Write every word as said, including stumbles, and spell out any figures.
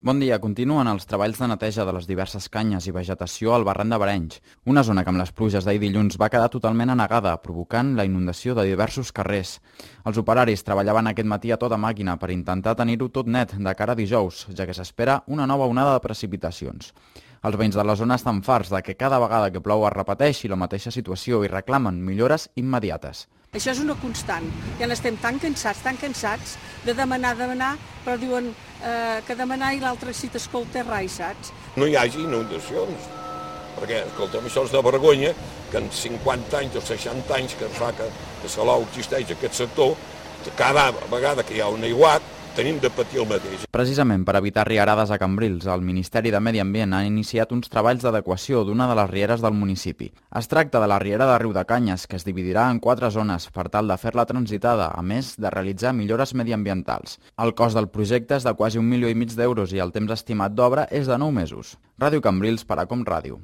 Bon dia. Continuen els treballs de neteja de les diverses canyes i vegetació al barranc de Barenys, una zona que amb les pluges d'ahir dilluns va quedar totalment anegada, provocant la inundació de diversos carrers. Els operaris treballaven aquest matí a tota màquina per intentar tenir-ho tot net de cara a dijous, ja que s'espera una nova onada de precipitacions. Els veïns de la zona estan farts de que cada vegada que plou es repeteixi la mateixa situació i reclamen millores immediates. Això és una constant. Ja n'estem tan cansats, tan cansats de demanar, demanar, però diuen eh, que demanar i l'altre si t'escolta rai, saps? No hi hagi inundacions, perquè, escolta'm, això és de vergonya que en cinquanta anys o seixanta anys que fa que, que Salou existeix aquest sector, cada vegada que hi ha un aiguat, tenim de patir el mateix. Precisament per evitar riarades a Cambrils, el Ministeri de Medi Ambient ha iniciat uns treballs d'adequació d'una de les rieres del municipi. Es tracta de la riera de Riudecanyes, que es dividirà en quatre zones per tal de fer-la transitada, a més de realitzar millores mediambientals. El cost del projecte és de quasi un milió i mig d'euros i el temps estimat d'obra és de nou mesos. Ràdio Cambrils per a Com Ràdio.